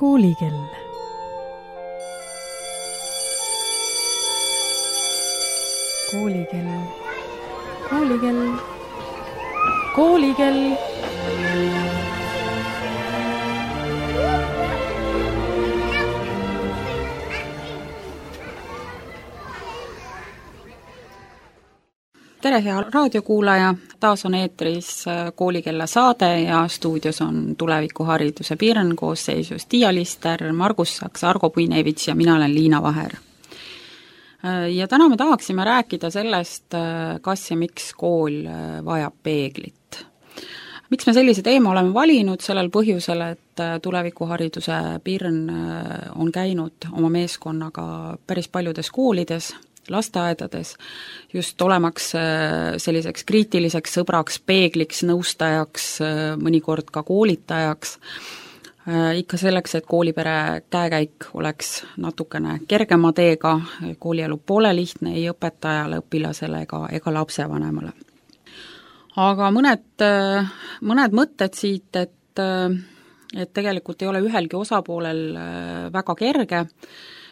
Koolikell. Koolikell. Koolikell. Koolikell. Tere, hea raadiokuulaja! Taas on eetris Koolikella saade ja stuudios on tulevikuhariduse Pirn koosseisus Tiia Lister, Margus Saks, Argo Puinevits ja mina olen Liina Vaher. Ja täna me tahaksime rääkida sellest, kas ja miks kool vajab peeglit. Miks me sellise teema oleme valinud? Sellel põhjusel, et tulevikuhariduse Pirn on käinud oma meeskonnaga päris paljudes koolides, lasteaedades, just olemaks selliseks kriitiliseks sõbraks, peegliks, nõustajaks, mõnikord ka koolitajaks, ikka selleks, et koolipere käekäik oleks natukene kergema teega, koolielu pole lihtne ei õpetajale, õpilasele ega lapsevanemale. Aga mõned mõtted siit, et tegelikult ei ole ühelgi osapoolel väga kerge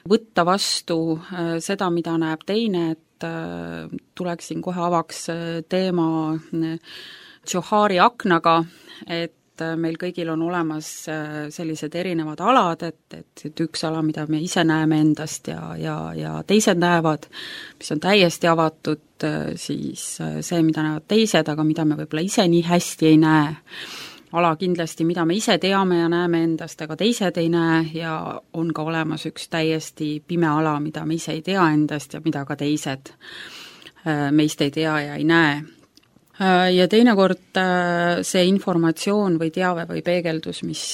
võtta vastu seda, mida näeb teine, et tuleksin kohe avaks teema Johari aknaga, et meil kõigil on olemas sellised erinevad alad, et üks ala, mida me ise näeme endast ja teised näevad, mis on täiesti avatud, siis see, mida näevad teised, aga mida me võib-olla ise nii hästi ei näe. Ala kindlasti, mida me ise teame ja näeme endast, aga teised ei näe ja on ka olemas üks täiesti pime ala, mida me ise ei tea endast ja mida ka teised meist ei tea ja ei näe. Ja teinekord see informatsioon või teave või peegeldus, mis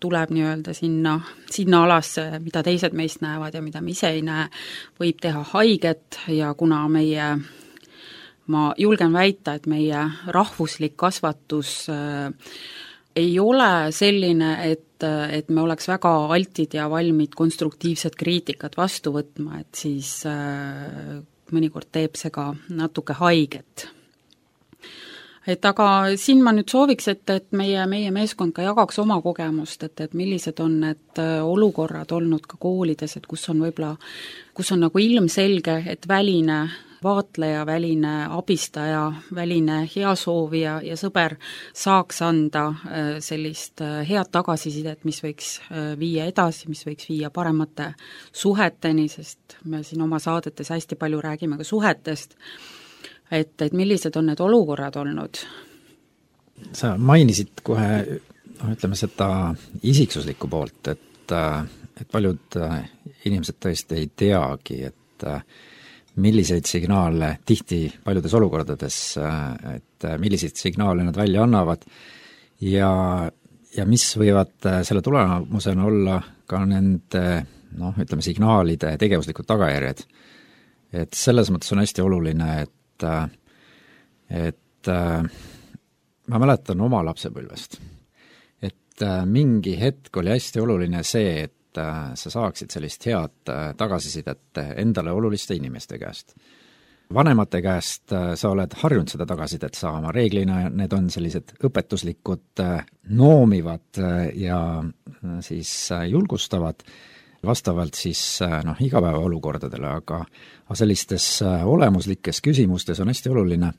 tuleb nii-öelda sinna alasse, mida teised meist näevad ja mida me ise ei näe, võib teha haiget ja kuna ma julgen väita, et meie rahvuslik kasvatus ei ole selline, et me oleks väga altid ja valmid konstruktiivset kriitikat vastu võtma, et siis mõnikord teeb see ka natuke haiget. Aga siin ma nüüd sooviks, et meie meeskond ka jagaks oma kogemust, et millised on need olukorrad olnud ka koolides, et kus on nagu ilmselge, et väline vaatleja, väline abistaja, väline heasoovija ja sõber saaks anda sellist head tagasisidet, mis võiks viia edasi, mis võiks viia paremate suheteni, sest me siin oma saadetes hästi palju räägime ka suhetest, et millised on need olukorrad olnud? Sa mainisid kohe, ütleme seda isiksuslikku poolt, et paljud inimesed tõesti ei teagi, et milliseid signaale tihti paljudes olukordades, et milliseid signaale nad välja annavad ja mis võivad selle tulemusena olla ka nende, ütleme, signaalide tegevuslikud tagajärjed. Et selles mõttes on hästi oluline, et ma mäletan oma lapsepõlvest, et mingi hetk oli hästi oluline see, et sa saaksid sellist head tagasisidet endale oluliste inimeste käest. Vanemate käest sa oled harjunud seda tagasisidet saama, reeglina need on sellised õpetuslikud, noomivad ja siis julgustavad vastavalt siis igapäeva olukordadele, aga sellistes olemuslikes küsimustes on hästi oluline,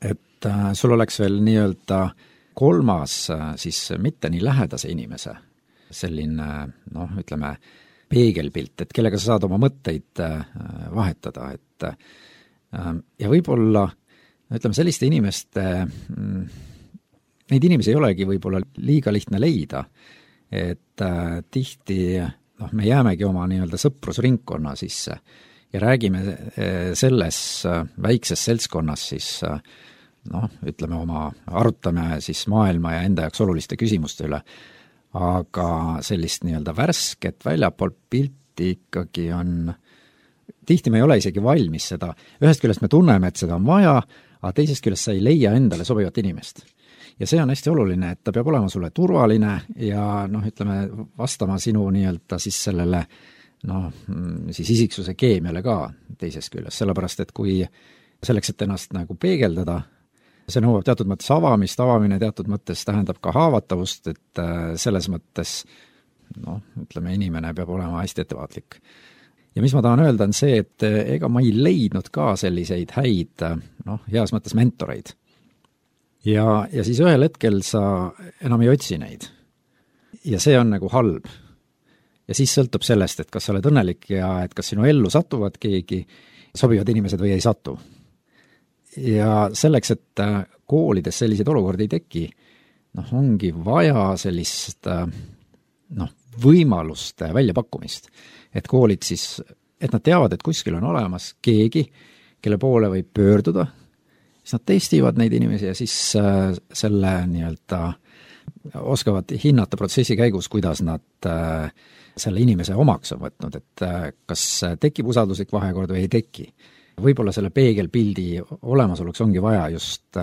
et sul oleks veel nii-öelda kolmas siis mitte nii lähedase inimese selline, ütleme, peegelpilt, et kellega sa saad oma mõtteid vahetada, et ja võib-olla, ütleme, selliste inimeste, neid inimesi ei olegi võib-olla liiga lihtne leida, et tihti me jäämegi oma nii-öelda sõprusringkonna sisse ja räägime selles väikses seltskonnas siis ütleme arutame siis maailma ja enda jaoks oluliste küsimuste üle, aga sellist nii-öelda värsket väljapoolt pilti ikkagi on, tihti me ei ole isegi valmis seda, ühest küljest me tunneme, et seda on vaja, aga teisest küljest sa ei leia endale sobivat inimest. Ja see on hästi oluline, et ta peab olema sulle turvaline ja ütleme, vastama sinu nii-öelda siis sellele siis isiksuse keemiale ka teisest küljest, sellepärast et kui selleks, et ennast nagu peegeldada, see nõuab teatud mõttes avamist, avamine teatud mõttes tähendab ka haavatavust, et selles mõttes ütleme, inimene peab olema hästi ettevaatlik. Ja mis ma tahan öelda, on see, et ega ma ei leidnud ka selliseid häid, heas mõttes mentoreid. Ja siis ühel hetkel sa enam ei otsi neid. Ja see on nagu halb. Ja siis sõltub sellest, et kas sa oled õnnelik ja et kas sinu ellu satuvad keegi, sobivad inimesed või ei satu. Ja selleks, et koolides selliseid olukordi ei teki, ongi vaja sellist võimaluste väljapakkumist. Et koolid siis, et nad teavad, et kuskil on olemas keegi, kelle poole võib pöörduda, siis nad testivad neid inimesi ja siis selle oskavad hinnata protsessi käigus, kuidas nad selle inimese omaks on võtnud, et kas tekib usalduslik vahekord või ei teki. Võib-olla selle peegelpildi olemasoluks ongi vaja just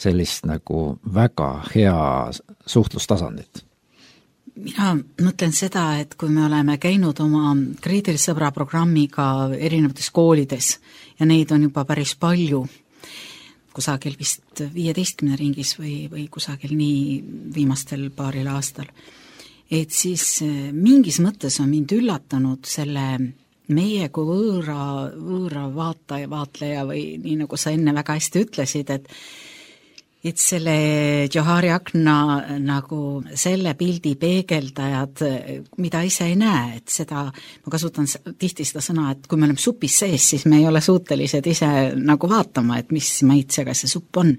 sellist nagu väga hea suhtlustasandit. Mina mõtlen seda, et kui me oleme käinud oma kriitilise sõbra programmiga erinevates koolides ja neid on juba päris palju, kusagil vist 15 ringis või kusagil nii viimastel paaril aastal, et siis mingis mõttes on mind üllatanud selle meie kui võõra vaatleja või nii nagu sa enne väga hästi ütlesid, et selle Johari akna nagu selle pildi peegeldajad, mida ise ei näe, et seda, ma kasutan tihti seda sõna, et kui me oleme supis sees, siis me ei ole suutelised ise nagu vaatama, et mis maitsega see supp on.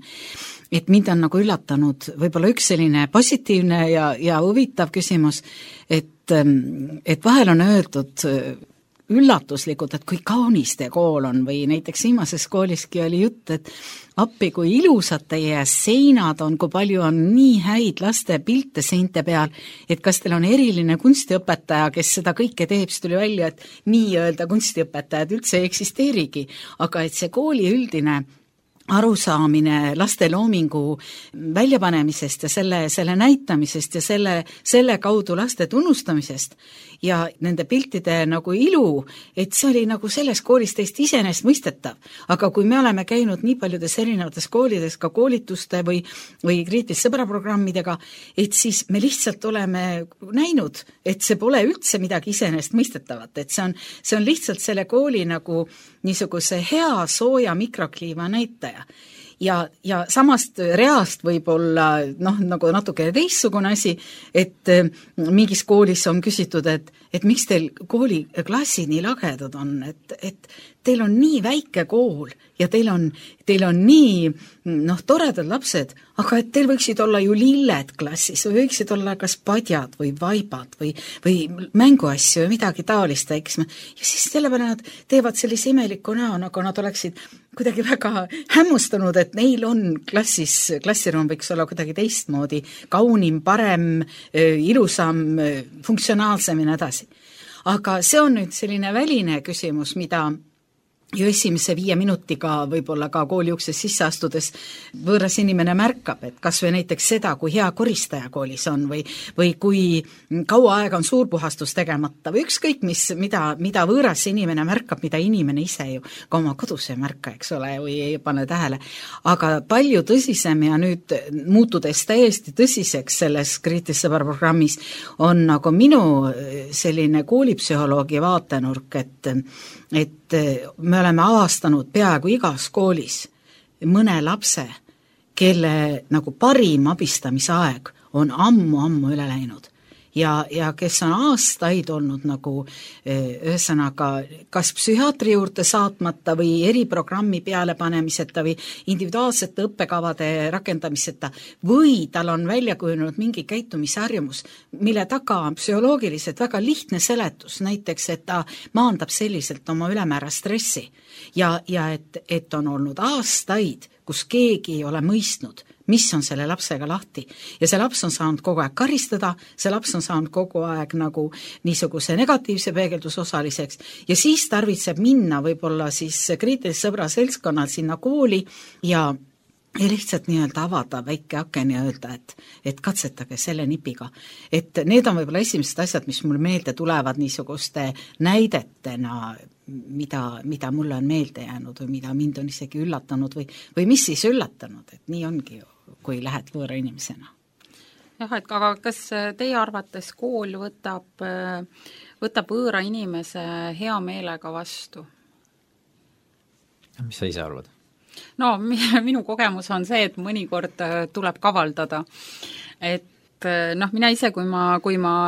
Et mind on nagu üllatanud võib-olla üks selline positiivne ja huvitav küsimus, et vahel on öeldud üllatuslikult, et kui kaunis teie kool on või näiteks viimases kooliski oli jutt, et appi, kui ilusad teie seinad on, kui palju on nii häid laste pilte seinte peal, et kas teil on eriline kunstiõpetaja, kes seda kõike teeb, siis tuli välja, et nii-öelda kunstiõpetajad üldse ei eksisteerigi, aga et see kooli üldine arusaamine laste loomingu väljapanemisest ja selle näitamisest ja selle kaudu laste tunnustamisest ja nende piltide nagu ilu, et see oli nagu selles koolis täiesti iseenesestmõistetav. Aga kui me oleme käinud nii paljudes erinevates koolides ka koolituste või kriitilise sõbra programmidega, et siis me lihtsalt oleme näinud, et see pole üldse midagi iseenesestmõistetavat, et see on lihtsalt selle kooli nagu niisuguse hea sooja mikrokliima näitaja. Ja samast reast võib olla nagu natuke teistsugune asi, et mingis koolis on küsitud, et miks teil kooliklassid nii lagedad on, et teil on nii väike kool ja teil on nii toredad lapsed, aga et teil võiksid olla ju lilled klassis või võiksid olla kas padjad või vaibad või mänguasju või midagi taolist, eks. Ja siis selle peale nad teevad sellise imeliku näo, nagu nad oleksid kuidagi väga hämmustanud, et neil on klassiruum võiks olla kuidagi teistmoodi, kaunim, parem, ilusam, funktsionaalsem ja nii edasi. Aga see on nüüd selline väline küsimus, mida ju esimese 5 minutiga võib-olla ka kooli ukses sisse astudes võõras inimene märkab, et kas või näiteks seda, kui hea koristaja koolis on või kui kaua aega on suurpuhastus tegemata või ükskõik mida võõras inimene märkab, mida inimene ise ju ka oma kodus ei märka, eks ole, või ei pane tähele. Aga palju tõsisem ja nüüd muutudes täiesti tõsiseks selles kriitilise sõbra programmis on nagu minu selline koolipsühholoogi vaatenurk, et me oleme avastanud peaaegu igas koolis mõne lapse, kelle nagu parim abistamisaeg on ammu üle läinud ja kes on aastaid olnud nagu ühesõnaga kas psühhiaatri juurde saatmata või eriprogrammi peale panemiseta või individuaalsete õppekavade rakendamiseta või tal on välja kujunenud mingi käitumisharjumus, mille taga on psühholoogiliselt väga lihtne seletus, näiteks et ta maandab selliselt oma ülemäära stressi ja et on olnud aastaid, kus keegi ei ole mõistnud, mis on selle lapsega lahti. Ja see laps on saanud kogu aeg karistada, see laps on saanud kogu aeg nagu niisuguse negatiivse peegeldusosaliseks ja siis tarvitseb minna võib-olla siis kriitilise sõbra seltskonnal sinna kooli ja lihtsalt nii-öelda avada väike aken ja öelda, et katsetage selle nipiga. Et need on võib-olla esimesed asjad, mis mul meelde tulevad niisuguste näidetena, mida mulle on meelde jäänud või mida mind on isegi üllatanud või mis siis üllatanud, et nii ongi ju, kui lähed võõra inimesena. jah, et aga kas teie arvates kool võtab võõra inimese hea meelega vastu? Mis sa ise arvad? No minu kogemus on see, et mõnikord tuleb kavaldada, et mina ise, kui ma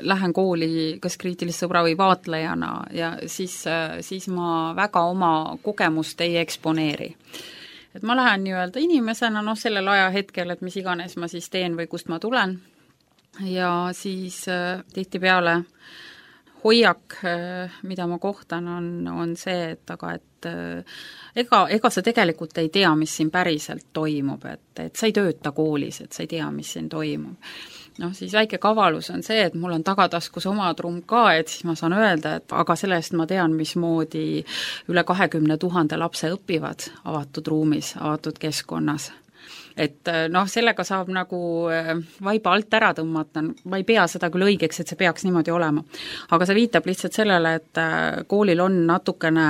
lähen kooli kas kriitilise sõbra või vaatlejana ja siis ma väga oma kogemust ei eksponeeri. Et ma lähen nii-öelda inimesena, sellel ajahetkel, et mis iganes ma siis teen või kust ma tulen ja siis tihtipeale hoiak, mida ma kohtan, on see, et ega sa tegelikult ei tea, mis siin päriselt toimub, et sa ei tööta koolis, et sa ei tea, mis siin toimub. Siis väike kavalus on see, et mul on tagataskus oma trumm ka, et siis ma saan öelda, et aga sellest ma tean, mismoodi üle 20 000 lapse õpivad avatud ruumis, avatud keskkonnas. Et sellega saab nagu vaiba alt ära tõmmata, ma ei pea seda küll õigeks, et see peaks niimoodi olema. Aga see viitab lihtsalt sellele, et koolil on natukene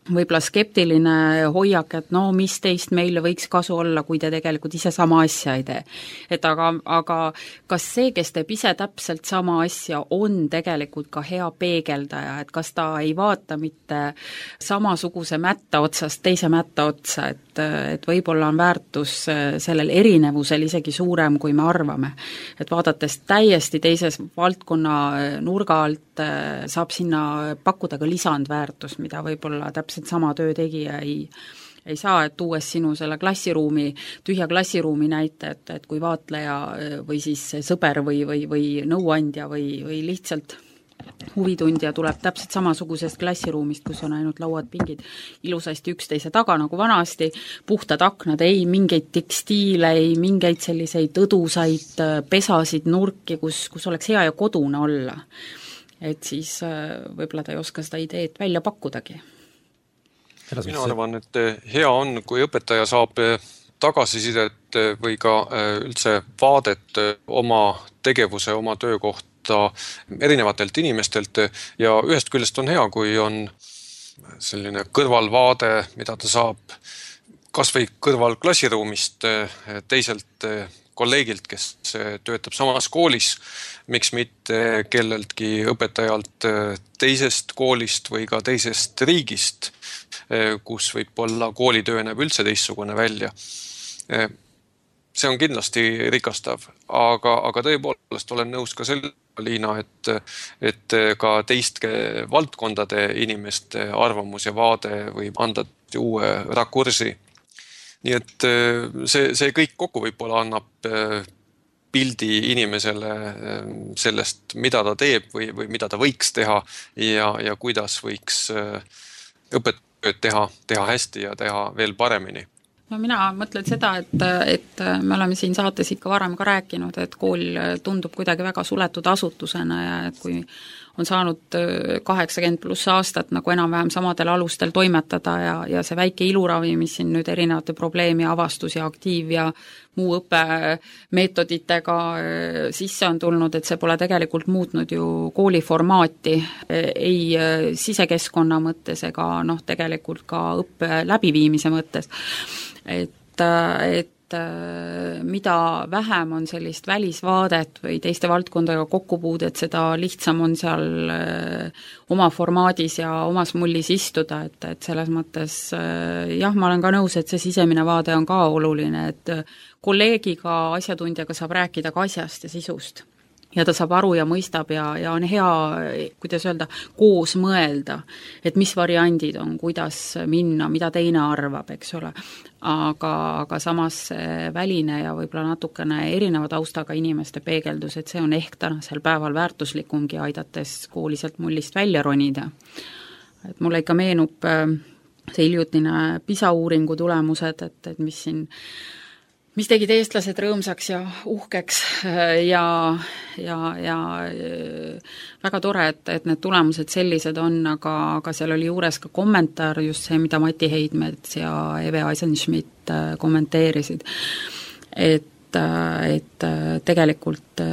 võib-olla skeptiline hoiak, et mis teist meile võiks kasu olla, kui te tegelikult ise sama asja ei tee. Et aga kas see, kes teeb ise täpselt sama asja, on tegelikult ka hea peegeldaja, et kas ta ei vaata mitte samasuguse mätta otsast teise mätta otsa, et võib-olla on väärtus sellel erinevusel isegi suurem, kui me arvame. Et vaadates täiesti teises valdkonna nurga alt saab sinna pakkuda ka lisandväärtus, mida võib-olla täpselt sama töötegija ei saa, et tuues sinu selle tühja klassiruumi näite, et kui vaatleja või siis sõber või nõuandja või lihtsalt huvitundja tuleb täpselt samasugusest klassiruumist, kus on ainult lauad, pingid ilusasti üksteise taga nagu vanasti, puhtad aknad, ei mingeid tekstiile, ei mingeid selliseid õdusaid pesasid, nurki, kus oleks hea ja kodune olla. Et siis võib-olla ta ei oska seda ideed välja pakkudagi. Mina arvan, et hea on, kui õpetaja saab tagasisidet või ka üldse vaadet oma tegevuse, oma töökohta erinevatelt inimestelt ja ühest küljest on hea, kui on selline kõrvalvaade, mida ta saab kas või kõrval klassiruumist teiselt kolleegilt, kes töötab samas koolis, miks mitte kelleltki õpetajalt teisest koolist või ka teisest riigist, kus võib-olla koolitöö näeb üldse teistsugune välja. See on kindlasti rikastav, aga tõepoolest olen nõus ka selle, Liina, et ka teiste valdkondade inimeste arvamus ja vaade võib anda uue rakursi. Nii et see kõik kokku võib-olla annab pildi inimesele sellest, mida ta teeb või mida ta võiks teha ja kuidas võiks õpetajad teha hästi ja teha veel paremini. Mina mõtlen seda, et me oleme siin saates ikka varem ka rääkinud, et kool tundub kuidagi väga suletud asutusena ja et kui on saanud 80+ aastat nagu enam-vähem samadel alustel toimetada ja see väike iluravi, mis siin nüüd erinevate probleemi avastus ja aktiiv ja muu õppemeetoditega sisse on tulnud, et see pole tegelikult muutnud ju kooli formaati ei sisekeskkonna mõttes ega tegelikult ka õppe läbiviimise mõttes. Et mida vähem on sellist välisvaadet või teiste valdkondadega kokkupuudet, seda lihtsam on seal oma formaadis ja omas mullis istuda, et selles mõttes jah, ma olen ka nõus, et see sisemine vaade on ka oluline, et kolleegiga, asjatundjaga saab rääkida ka asjast ja sisust. Ja ta saab aru ja mõistab ja on hea, kuidas öelda, koos mõelda, et mis variandid on, kuidas minna, mida teine arvab, eks ole. Aga samas väline ja võib-olla natukene erineva taustaga inimeste peegeldus, et see on ehk tänasel päeval väärtuslikumgi aidates kooliselt mullist välja ronida. Et mulle ikka meenub see hiljutine PISA uuringu tulemused, et mis tegid eestlased rõõmsaks ja uhkeks ja väga tore, et need tulemused sellised on, aga seal oli juures ka kommentaar, just see, mida Mati Heidmets ja Eve Eisenschmidt kommenteerisid, et tegelikult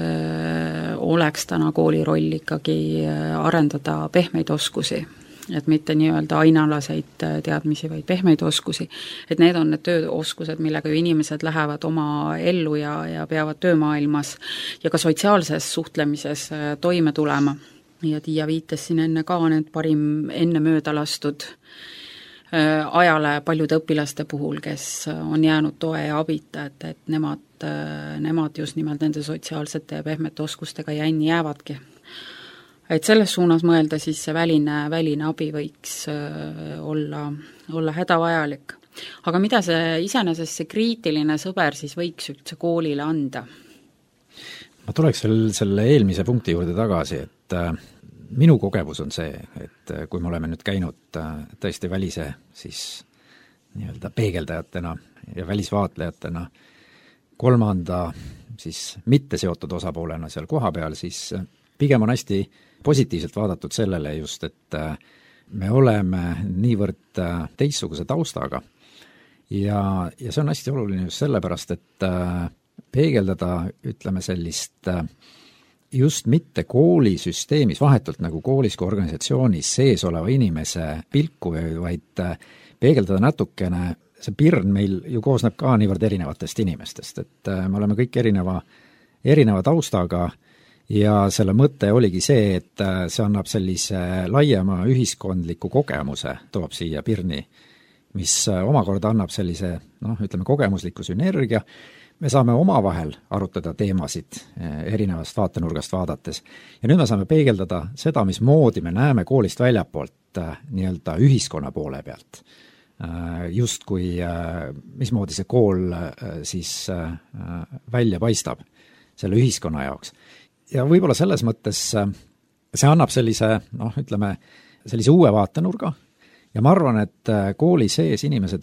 oleks täna kooli roll ikkagi arendada pehmeid oskusi et mitte nii-öelda ainealaseid teadmisi, vaid pehmeid oskusi. Et need on need tööoskused, millega ju inimesed lähevad oma ellu ja peavad töömaailmas ja ka sotsiaalses suhtlemises toime tulema. Ja Tiia viitas siin enne ka need parim enne mööda lastud ajale paljude õpilaste puhul, kes on jäänud toe ja abita, et nemad just nimelt nende sotsiaalsete ja pehmete oskustega jänni jäävadki. Et selles suunas mõelda, siis see väline abi võiks olla hädavajalik. Aga mida iseenesest see kriitiline sõber siis võiks üldse koolile anda? Ma tuleks selle eelmise punkti juurde tagasi, et minu kogemus on see, et kui me oleme nüüd käinud tõesti välise siis nii-öelda peegeldajatena ja välisvaatlejatena kolmanda siis mitte seotud osapoolena seal kohapeal, siis pigem on hästi positiivselt vaadatud sellele just, et me oleme niivõrd teistsuguse taustaga ja see on hästi oluline just sellepärast, et peegeldada, ütleme sellist just mitte koolisüsteemis, vahetult nagu koolis kui organisatsioonis sees oleva inimese pilku, vaid peegeldada natukene, see pirn meil ju koosneb ka niivõrd erinevatest inimestest, et me oleme kõik erineva taustaga ja selle mõte oligi see, et see annab sellise laiema ühiskondliku kogemuse, toob siia pirni, mis omakorda annab sellise, ütleme, kogemusliku sünergia. Me saame omavahel arutada teemasid erinevast vaatenurgast vaadates ja nüüd me saame peegeldada seda, mismoodi me näeme koolist väljapoolt nii-öelda ühiskonna poole pealt. Just kui, mismoodi see kool siis välja paistab selle ühiskonna jaoks. Ja võib-olla selles mõttes see annab sellise, ütleme, sellise uue vaatenurga ja ma arvan, et kooli sees inimesed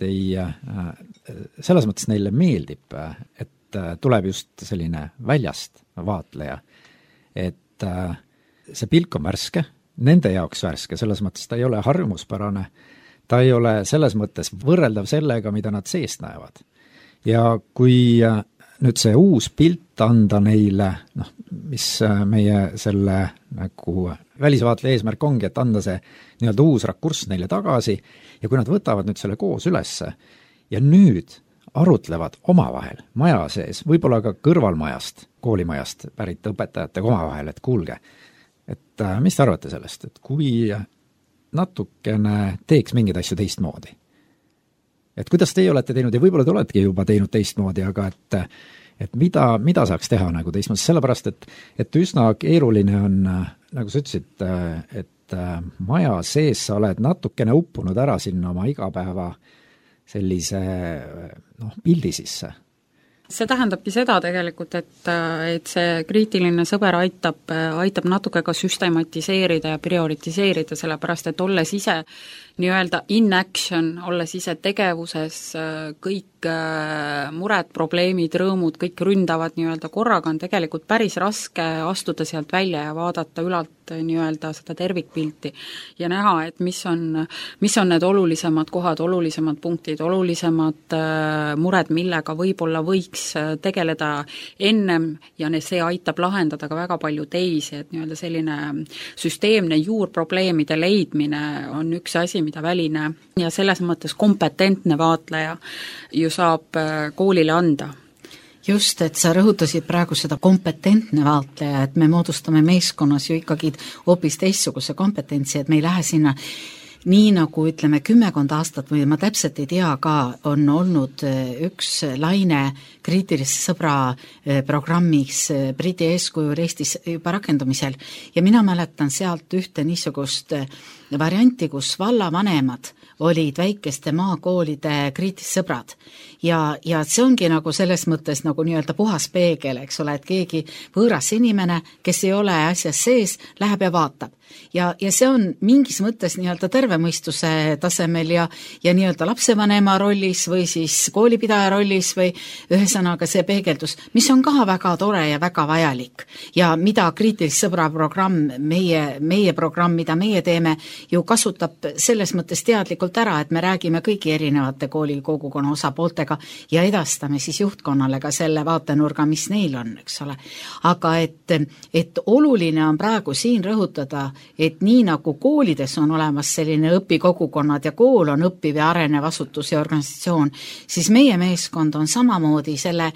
selles mõttes neile meeldib, et tuleb just selline väljast vaatleja, et see pilk on värske, nende jaoks värske, selles mõttes ta ei ole harjumuspärane, ta ei ole selles mõttes võrreldav sellega, mida nad seest näevad. Ja kui nüüd see uus pilt anda neile, mis meie selle nagu välisvaatle eesmärk ongi, et anda see nii-öelda uus rakurss neile tagasi ja kui nad võtavad nüüd selle koos ülesse ja nüüd arutlevad omavahel maja sees, võib-olla ka kõrvalmajast, koolimajast pärit õpetajatega omavahel, et kuulge, et mis te arvate sellest, et kui natukene teeks mingeid asju teistmoodi? Et kuidas teie olete teinud ja võib-olla te oletegi juba teinud teistmoodi, aga et mida saaks teha nagu teistmoodi, sellepärast, et üsna keeruline on, nagu sa ütlesid, et maja sees sa oled natukene uppunud ära sinna oma igapäeva sellise pildi sisse. See tähendabki seda tegelikult, et see kriitiline sõber aitab natuke ka süstematiseerida ja prioritiseerida, sellepärast, et olles ise nii-öelda in action, olles ise tegevuses, kõik mured, probleemid, rõõmud, kõik ründavad nii-öelda korraga, on tegelikult päris raske astuda sealt välja ja vaadata ülalt nii-öelda seda tervikpilti ja näha, et mis on need olulisemad kohad, olulisemad punktid, olulisemad mured, millega võib-olla võiks tegeleda ennem ja see aitab lahendada ka väga palju teisi, et nii-öelda selline süsteemne juurprobleemide leidmine on üks asi, mida väline ja selles mõttes kompetentne vaatleja ju saab koolile anda. Just, et sa rõhutasid praegu seda kompetentne vaatleja, et me moodustame meeskonnas ju ikkagi hoopis teistsuguse kompetentsi, et me ei lähe sinna nii nagu ütleme 10 aastat või ma täpselt ei tea ka, on olnud üks laine kriitilise sõbra programmis Briti eeskujul Eestis juba rakendumisel ja mina mäletan sealt ühte niisugust varianti, kus vallavanemad olid väikeste maakoolide kriitilised sõbrad ja see ongi nagu selles mõttes nagu nii-öelda puhas peegel, eks ole, et keegi võõras inimene, kes ei ole asjas sees, läheb ja vaatab. Ja see on mingis mõttes nii-öelda terve terve mõistuse tasemel ja nii-öelda lapsevanema rollis või siis koolipidaja rollis või ühesõnaga see peegeldus, mis on ka väga tore ja väga vajalik. Ja mida kriitilise sõbra programm, meie programm, mida meie teeme, ju kasutab selles mõttes teadlikult ära, et me räägime kõigi erinevate kooli kogukonna osapooltega ja edastame siis juhtkonnale ka selle vaatenurga, mis neil on, eks ole. Aga et oluline on praegu siin rõhutada, et nii nagu koolides on olemas selline õpikogukonnad ja kool on õppiv ja arenev asutus ja organisatsioon, siis meie meeskond on samamoodi selle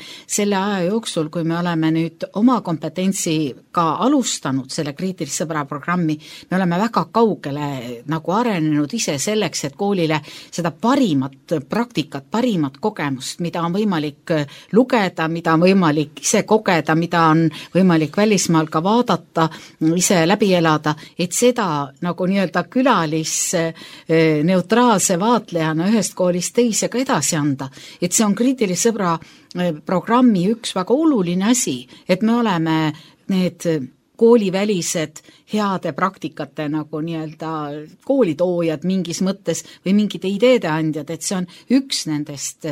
aja jooksul, kui me oleme nüüd oma kompetentsiga alustanud selle kriitilise sõbra programmi, me oleme väga kaugele nagu arenenud ise selleks, et koolile seda parimat praktikat, parimat kogemust, mida on võimalik lugeda, mida on võimalik ise kogeda, mida on võimalik välismaal ka vaadata, ise läbi elada, et seda nagu nii-öelda neutraalse vaatlejana ühest koolist teise ka edasi anda. Et see on kriitilise sõbra programmi üks väga oluline asi, et me oleme need koolivälised heade praktikate nagu nii-öelda koolitoojad mingis mõttes või mingite ideede andjad, et see on üks nendest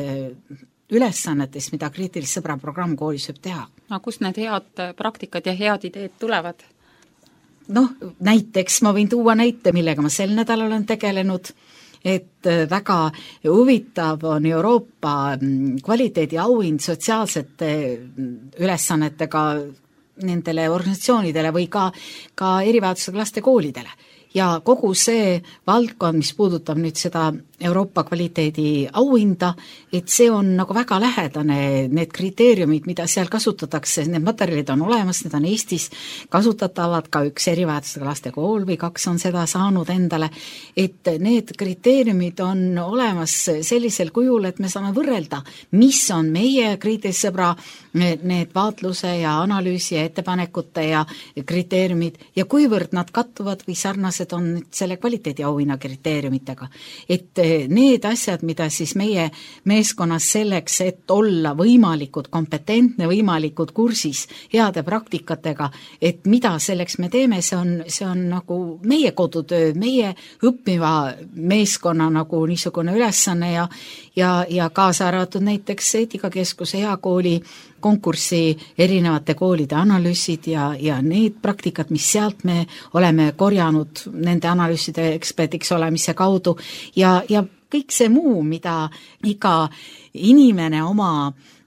ülesannetest, mida kriitilise sõbra programm koolis võib teha. No kust need head praktikad ja head ideed tulevad? Näiteks ma võin tuua näite, millega ma sel nädalal olen tegelenud, et väga huvitav on Euroopa kvaliteediauhind sotsiaalsete ülesannetega nendele organisatsioonidele või ka erivajadusega laste koolidele. Ja kogu see valdkond, mis puudutab nüüd seda Euroopa kvaliteedi auhinda, et see on nagu väga lähedane, need kriteeriumid, mida seal kasutatakse, need materjalid on olemas, need on Eestis kasutatavad, ka üks erivajadusega laste kool või 2 on seda saanud endale, et need kriteeriumid on olemas sellisel kujul, et me saame võrrelda, mis on meie kriitilise sõbra need vaatluse ja analüüsi ja ettepanekute ja kriteeriumid ja kuivõrd nad kattuvad või sarnased on selle kvaliteediauhinna kriteeriumitega. Et need asjad, mida siis meie meeskonnas selleks, et olla võimalikud kompetentne, võimalikud kursis heade praktikatega, et mida selleks me teeme, see on nagu meie kodutöö, meie õppiva meeskonna nagu niisugune ülesanne ja kaasa arvatud näiteks Eetikakeskuse hea kooli konkursi erinevate koolide analüüsid ja need praktikad, mis sealt me oleme korjanud nende analüüside eksperdiks olemise kaudu ja kõik see muu, mida iga inimene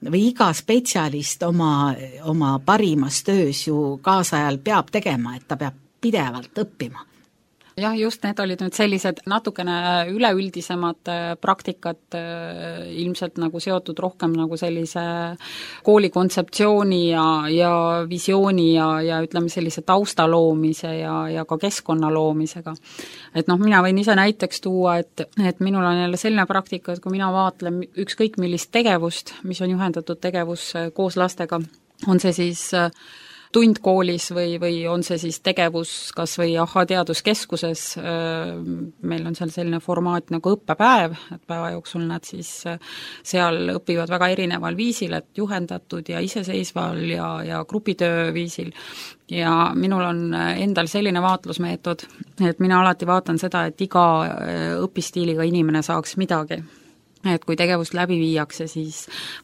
või iga spetsialist oma parimas töös ju kaasajal peab tegema, et ta peab pidevalt õppima. Jah, just need olid nüüd sellised natukene üleüldisemad praktikad, ilmselt nagu seotud rohkem nagu sellise kooli kontseptsiooni ja visiooni ja ütleme sellise tausta loomise ja ka keskkonna loomisega. Et mina võin ise näiteks tuua, et minul on jälle selline praktika, et kui mina vaatlen ükskõik millist tegevust, mis on juhendatud tegevus koos lastega, on see siis tund koolis või on see siis tegevus kas või teaduskeskuses, meil on seal selline formaat nagu õppepäev, et päeva jooksul nad siis seal õpivad väga erineval viisil, et juhendatud ja iseseisval ja grupitöö viisil. Ja minul on endal selline vaatlusmeetod, et mina alati vaatan seda, et iga õpistiiliga inimene saaks midagi. Et kui tegevust läbi viiakse, siis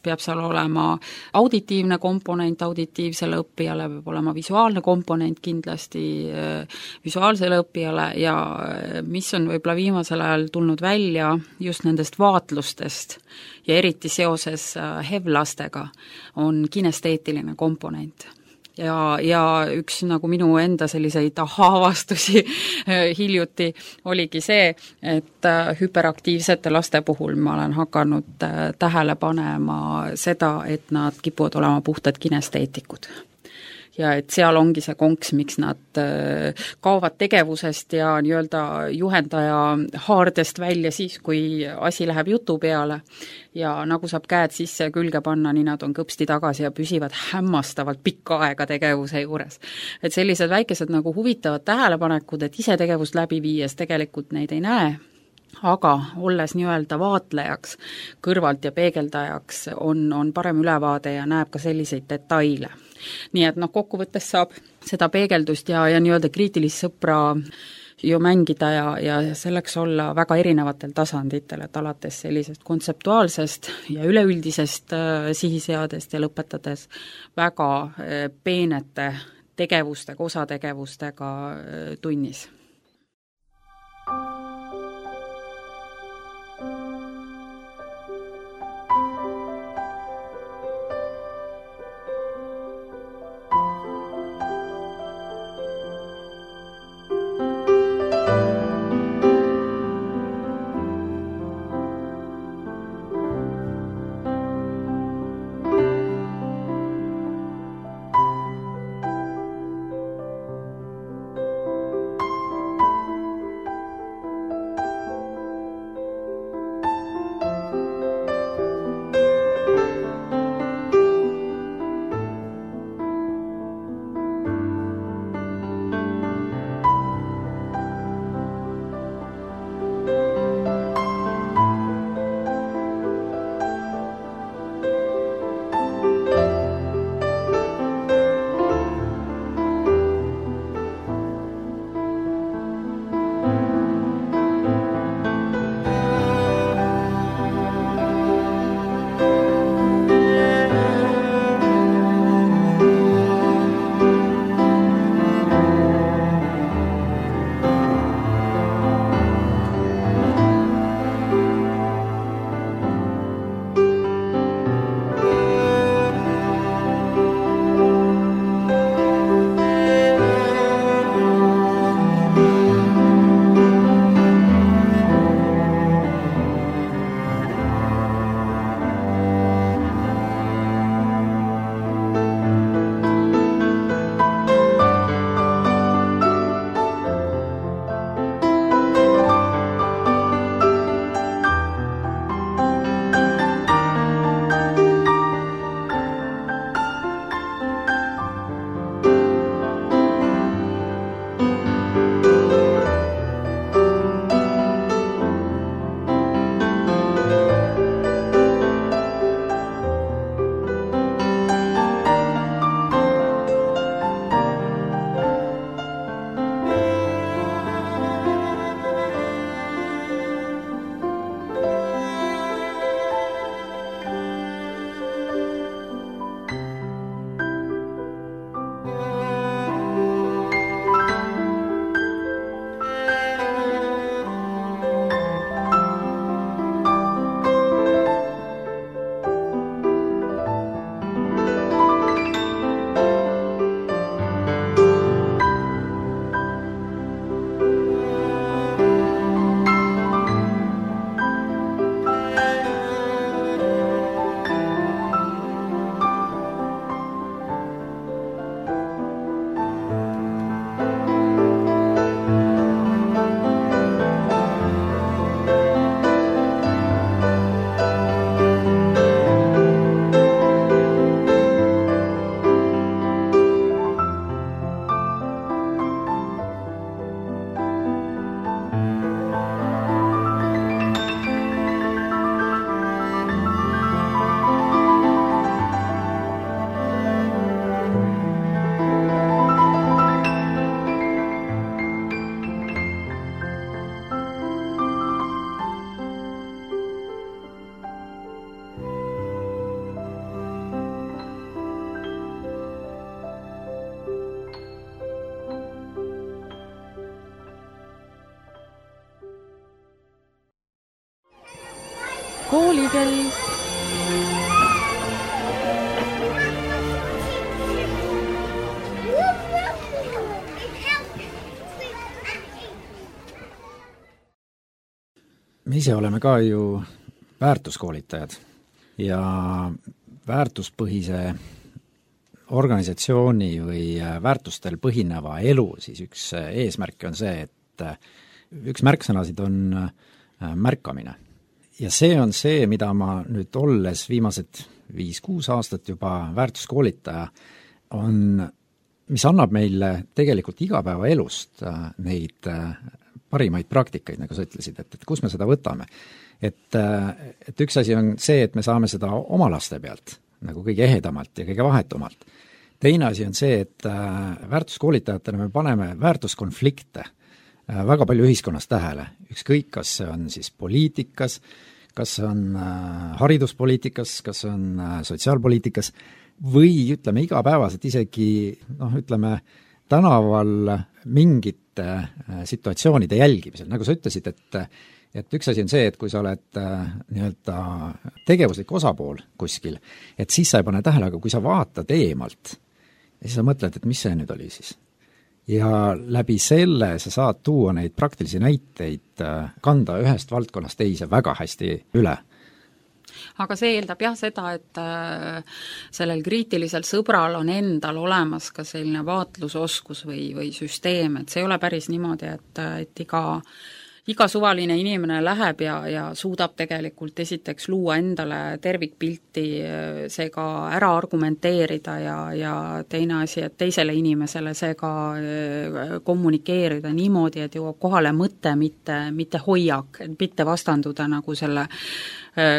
peab seal olema auditiivne komponent auditiivsele õppijale, peab olema visuaalne komponent kindlasti visuaalsele õppijale ja mis on võib-olla viimasel ajal tulnud välja just nendest vaatlustest ja eriti seoses HEV-lastega on kinesteetiline komponent. Ja üks nagu minu enda selliseid avastusi hiljuti oligi see, et hüperaktiivsete laste puhul ma olen hakanud tähele panema seda, et nad kipuvad olema puhtad kinesteetikud. Ja et seal ongi see konks, miks nad kaovad tegevusest ja nii-öelda juhendaja haardest välja siis, kui asi läheb jutu peale ja nagu saab käed sisse ja külge panna, nii nad on kõpsti tagasi ja püsivad hämmastavalt pikka aega tegevuse juures. Et sellised väikesed nagu huvitavad tähelepanekud, et ise tegevust läbi viies tegelikult neid ei näe, aga olles nii-öelda vaatlejaks, kõrvalt ja peegeldajaks on parem ülevaade ja näeb ka selliseid detaile. Nii et kokkuvõttes saab seda peegeldust ja nii-öelda kriitilist sõpra ju mängida ja selleks olla väga erinevatel tasanditel, et alates sellisest kontseptuaalsest ja üleüldisest sihiseadest ja lõpetades väga peenete tegevustega, osategevustega tunnis. koolikell. me ise oleme ka ju väärtuskoolitajad ja väärtuspõhise organisatsiooni või väärtustel põhineva elu siis üks eesmärk on see, et üks märksõnasid on märkamine. Ja see on see, mida ma nüüd olles viimased 5-6 aastat juba väärtuskoolitaja on, mis annab meile tegelikult igapäevaelust neid parimaid praktikaid, nagu sa ütlesid, et kus me seda võtame. Et üks asi on see, et me saame seda oma laste pealt nagu kõige ehedamalt ja kõige vahetumalt. Teine asi on see, et väärtuskoolitajatena me paneme väärtuskonflikte väga palju ühiskonnas tähele, ükskõik, kas see on siis poliitikas, kas see on hariduspoliitikas, kas see on sotsiaalpoliitikas või ütleme igapäevaselt isegi ütleme tänaval mingite situatsioonide jälgimisel, nagu sa ütlesid, et üks asi on see, et kui sa oled nii-öelda tegevuslik osapool kuskil, et siis sa ei pane tähele, aga kui sa vaatad eemalt ja siis sa mõtled, et mis see nüüd oli siis. Ja läbi selle sa saad tuua neid praktilisi näiteid, kanda ühest valdkonnast teise väga hästi üle. Aga see eeldab seda, et sellel kriitilisel sõbral on endal olemas ka selline vaatlusoskus või süsteem, et see ei ole päris niimoodi, et iga suvaline inimene läheb ja suudab tegelikult esiteks luua endale tervikpilti, seega ära argumenteerida ja teine asi, et teisele inimesele seega kommunikeerida niimoodi, et jõuab kohale mõte, mitte hoiak, et mitte vastanduda nagu selle,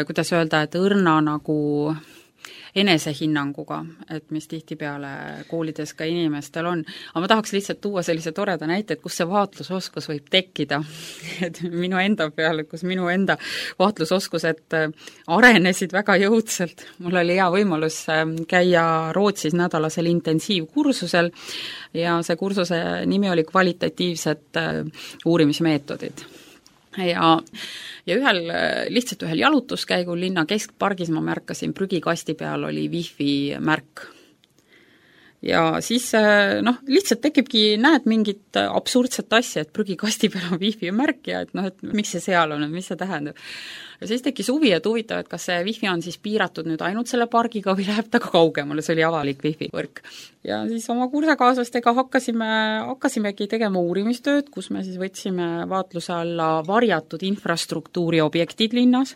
kuidas öelda, et õrna nagu enesehinnanguga, et mis tihtipeale koolides ka inimestel on. Aga ma tahaks lihtsalt tuua sellise toreda näite, et kus see vaatlusoskus võib tekkida. Et minu enda peale, kus minu enda vaatlusoskused arenesid väga jõudselt. Mul oli hea võimalus käia Rootsis nädalasel intensiivkursusel ja see kursuse nimi oli kvalitatiivsed uurimismeetodid. Ja lihtsalt ühel jalutuskäigul linna keskpargis ma märkasin, prügikasti peal oli Wi-Fi märk. Ja siis lihtsalt tekibki, näed mingit absurdset asja, et prügikasti peal on Wi-Fi märk ja et miks see seal on, mis see tähendab. Ja siis tekkis huvi, et huvitav, et kas see Wi-Fi on siis piiratud nüüd ainult selle pargiga või läheb ta ka kaugemale, see oli avalik Wi-Fi võrk. Ja siis oma kursakaaslastega hakkasimegi tegema uurimistööd, kus me siis võtsime vaatluse alla varjatud infrastruktuuri objektid linnas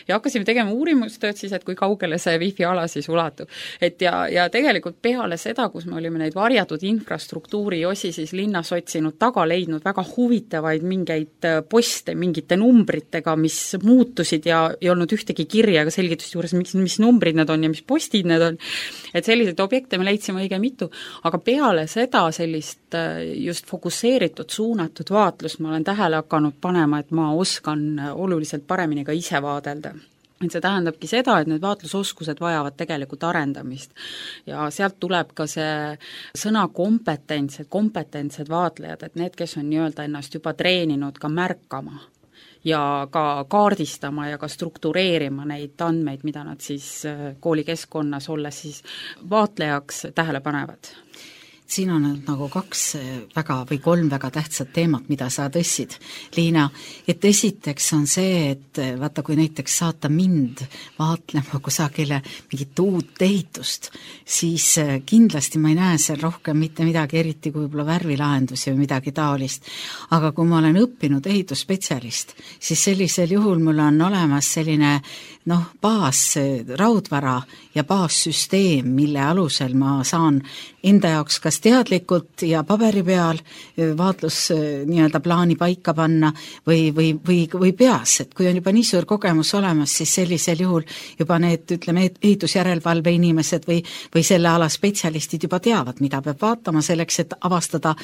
ja hakkasime tegema uurimustööd siis, et kui kaugele see Wi-Fi ala siis ulatub. Et ja tegelikult peale seda, kus me olime neid varjatud infrastruktuuri osi siis linnas otsinud, taga leidnud väga huvitavaid mingeid poste mingite numbritega, mis muutusid ja ei olnud ühtegi kirja ega selgitust juures, mis numbrid need on ja mis postid need on. Et selliseid objekte me leidsime õige mitu, aga peale seda sellist just fokusseeritud, suunatud vaatlust ma olen tähele hakanud panema, et ma oskan oluliselt paremini ka ise vaadelda. Et see tähendabki seda, et need vaatlusoskused vajavad tegelikult arendamist ja sealt tuleb ka see sõna kompetentsed vaatlejad, et need, kes on nii-öelda ennast juba treeninud ka märkama ja ka kaardistama ja ka struktureerima neid andmeid, mida nad siis koolikeskkonnas olles siis vaatlejaks tähele panevad. Siin on nagu 3 väga tähtsat teemat, mida sa tõssid, Liina, et esiteks on see, et vaata, kui näiteks saata mind vaatlema kusagile mingit uut ehitust, siis kindlasti ma ei näe seal rohkem mitte midagi, eriti kui võib-olla värvilahendusi või midagi taolist. Aga kui ma olen õppinud ehitusspetsialist, siis sellisel juhul mul on olemas selline baas raudvara ja baassüsteem, mille alusel ma saan enda jaoks kas teadlikult ja paberi peal vaatlus nii-öelda plaani paika panna või peas, et kui on juba nii suur kogemus olemas, siis sellisel juhul juba need, ütleme, ehitusjärelevalve inimesed või selle ala spetsialistid juba teavad, mida peab vaatama selleks, et avastada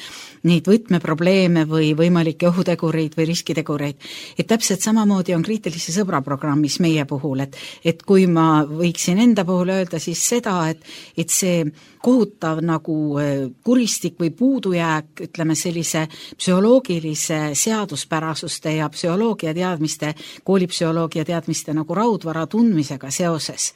neid võtmeprobleeme või võimalikke ohutegureid või riskitegureid. Et täpselt samamoodi on kriitilise sõbra programmis meie puhul, et kui ma võiksin enda puhul öelda siis seda, et see kohutav nagu kuristik või puudujääk, ütleme sellise psühholoogilise seaduspärasuste ja psühholoogia teadmiste, koolipsühholoogia teadmiste nagu raudvara tundmisega seoses,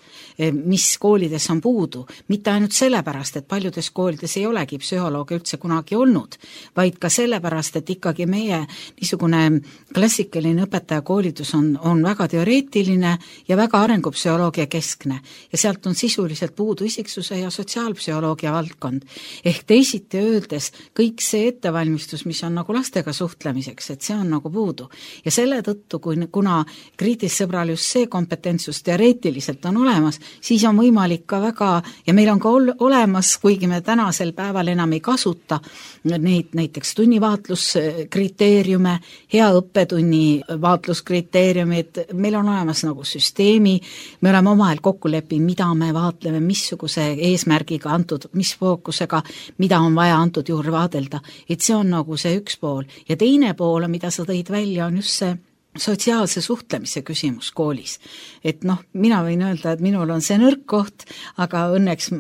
mis koolides on puudu. Mitte ainult sellepärast, et paljudes koolides ei olegi psühholoogia üldse kunagi olnud, vaid ka sellepärast, et ikkagi meie niisugune klassikaline õpetajakoolitus on väga teoreetiline ja väga arengupsühholoogia keskne ja sealt on sisuliselt puudu isiksuse ja sotsiaalpsühholoogia valdkond. Ehk teisiti öeldes kõik see ettevalmistus, mis on nagu lastega suhtlemiseks, et see on nagu puudu. Ja selle tõttu, kuna kriitissõbral just see kompetentsus teoreetiliselt on olemas, siis on võimalik ka väga, ja meil on ka olemas, kuigi me tänasel päeval enam ei kasuta neid näiteks tunnivaatluskriteeriume, hea õppetunni vaatluskriteeriumid, meil on olemas nagu süsteemi, me oleme omavahel kokku leppinud, mida me vaatleme, missuguse eesmärgiga antud, mis fookusega, mida on vaja antud juurde vaadelda, et see on nagu see üks pool. Ja teine pool, mida sa tõid välja, on just see sotsiaalse suhtlemise küsimus koolis. Et mina võin öelda, et minul on see nõrk koht, aga õnneks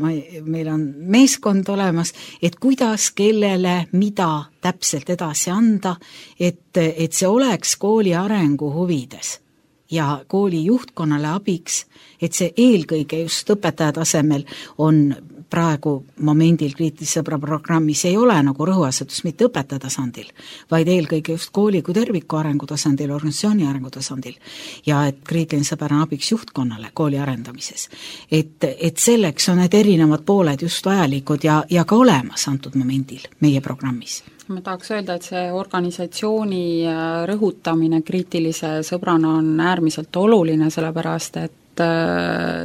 meil on meeskond olemas, et kuidas, kellele, mida täpselt edasi anda, et see oleks kooli arengu huvides ja kooli juhtkonnale abiks, et see eelkõige just õpetaja tasemel on praegu momendil kriitilise sõbra programmis ei ole nagu rõhuasetus mitte õpetaja tasandil, vaid eelkõige just kooli kui terviku arengu tasandil, organisatsiooni arengu tasandil ja et kriitiline sõber on abiks juhtkonnale kooli arendamises. Et selleks on need erinevad pooled just vajalikud ja ka olemas antud momendil meie programmis. Ma tahaks öelda, et see organisatsiooni rõhutamine kriitilise sõbrana on äärmiselt oluline, sellepärast et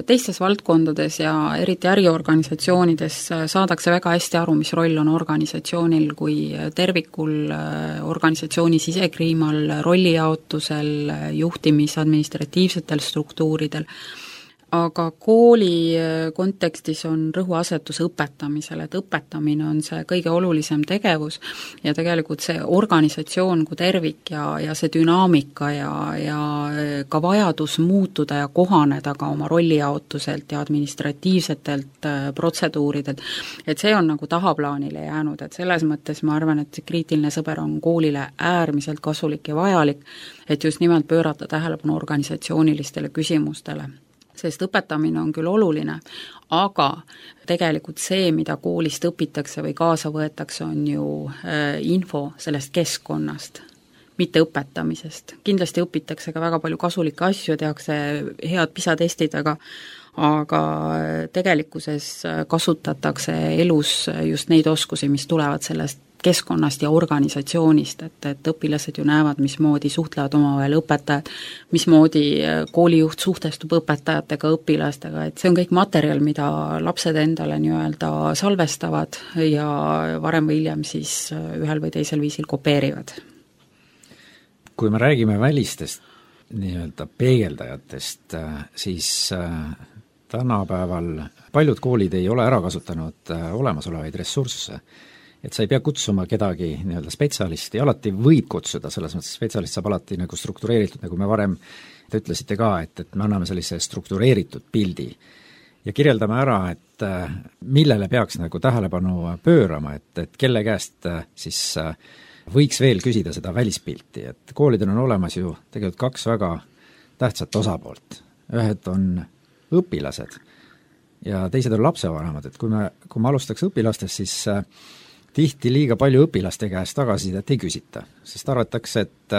teistes valdkondades ja eriti äriorganisatsioonides saadakse väga hästi aru, mis roll on organisatsioonil kui tervikul, organisatsiooni sisekliimal, rollijaotusel, juhtimis, administratiivsetel struktuuridel. Aga kooli kontekstis on rõhuasetus õpetamisel, et õpetamine on see kõige olulisem tegevus ja tegelikult see organisatsioon kui tervik ja see dünaamika ja ka vajadus muutuda ja kohaneda ka oma rollijaotuselt ja administratiivsetelt protseduuridelt, et see on nagu tahaplaanile jäänud, et selles mõttes ma arvan, et kriitiline sõber on koolile äärmiselt kasulik ja vajalik, et just nimelt pöörata tähelepanu organisatsioonilistele küsimustele. Sest õpetamine on küll oluline, aga tegelikult see, mida koolist õpitakse või kaasa võetakse, on ju info sellest keskkonnast, mitte õpetamisest. Kindlasti õpitakse ka väga palju kasulikke asju, tehakse head PISA-testid, aga tegelikkuses kasutatakse elus just neid oskusi, mis tulevad sellest keskkonnast ja organisatsioonist, et õpilased ju näevad, mismoodi suhtlevad omavahel õpetajad, mismoodi koolijuht suhtestub õpetajatega, õpilastega, et see on kõik materjal, mida lapsed endale nii-öelda salvestavad ja varem või hiljem siis ühel või teisel viisil kopeerivad. Kui me räägime välistest nii-öelda peegeldajatest, siis tänapäeval paljud koolid ei ole ära kasutanud olemasolevaid ressursse. Et sa ei pea kutsuma kedagi nii-öelda spetsialisti, alati võib kutsuda, selles mõttes spetsialist saab alati nagu struktureeritud, nagu me varem te ütlesite ka, et me anname sellise struktureeritud pildi ja kirjeldame ära, et millele peaks nagu tähelepanu pöörama, et kelle käest siis võiks veel küsida seda välispilti, et koolidel on olemas ju tegelikult kaks väga tähtsat osapoolt. Ühed on õpilased ja teised on lapsevanemad, et kui me alustaks õpilastest, siis tihti liiga palju õpilaste käest tagasisidet ei küsita, sest arvatakse, et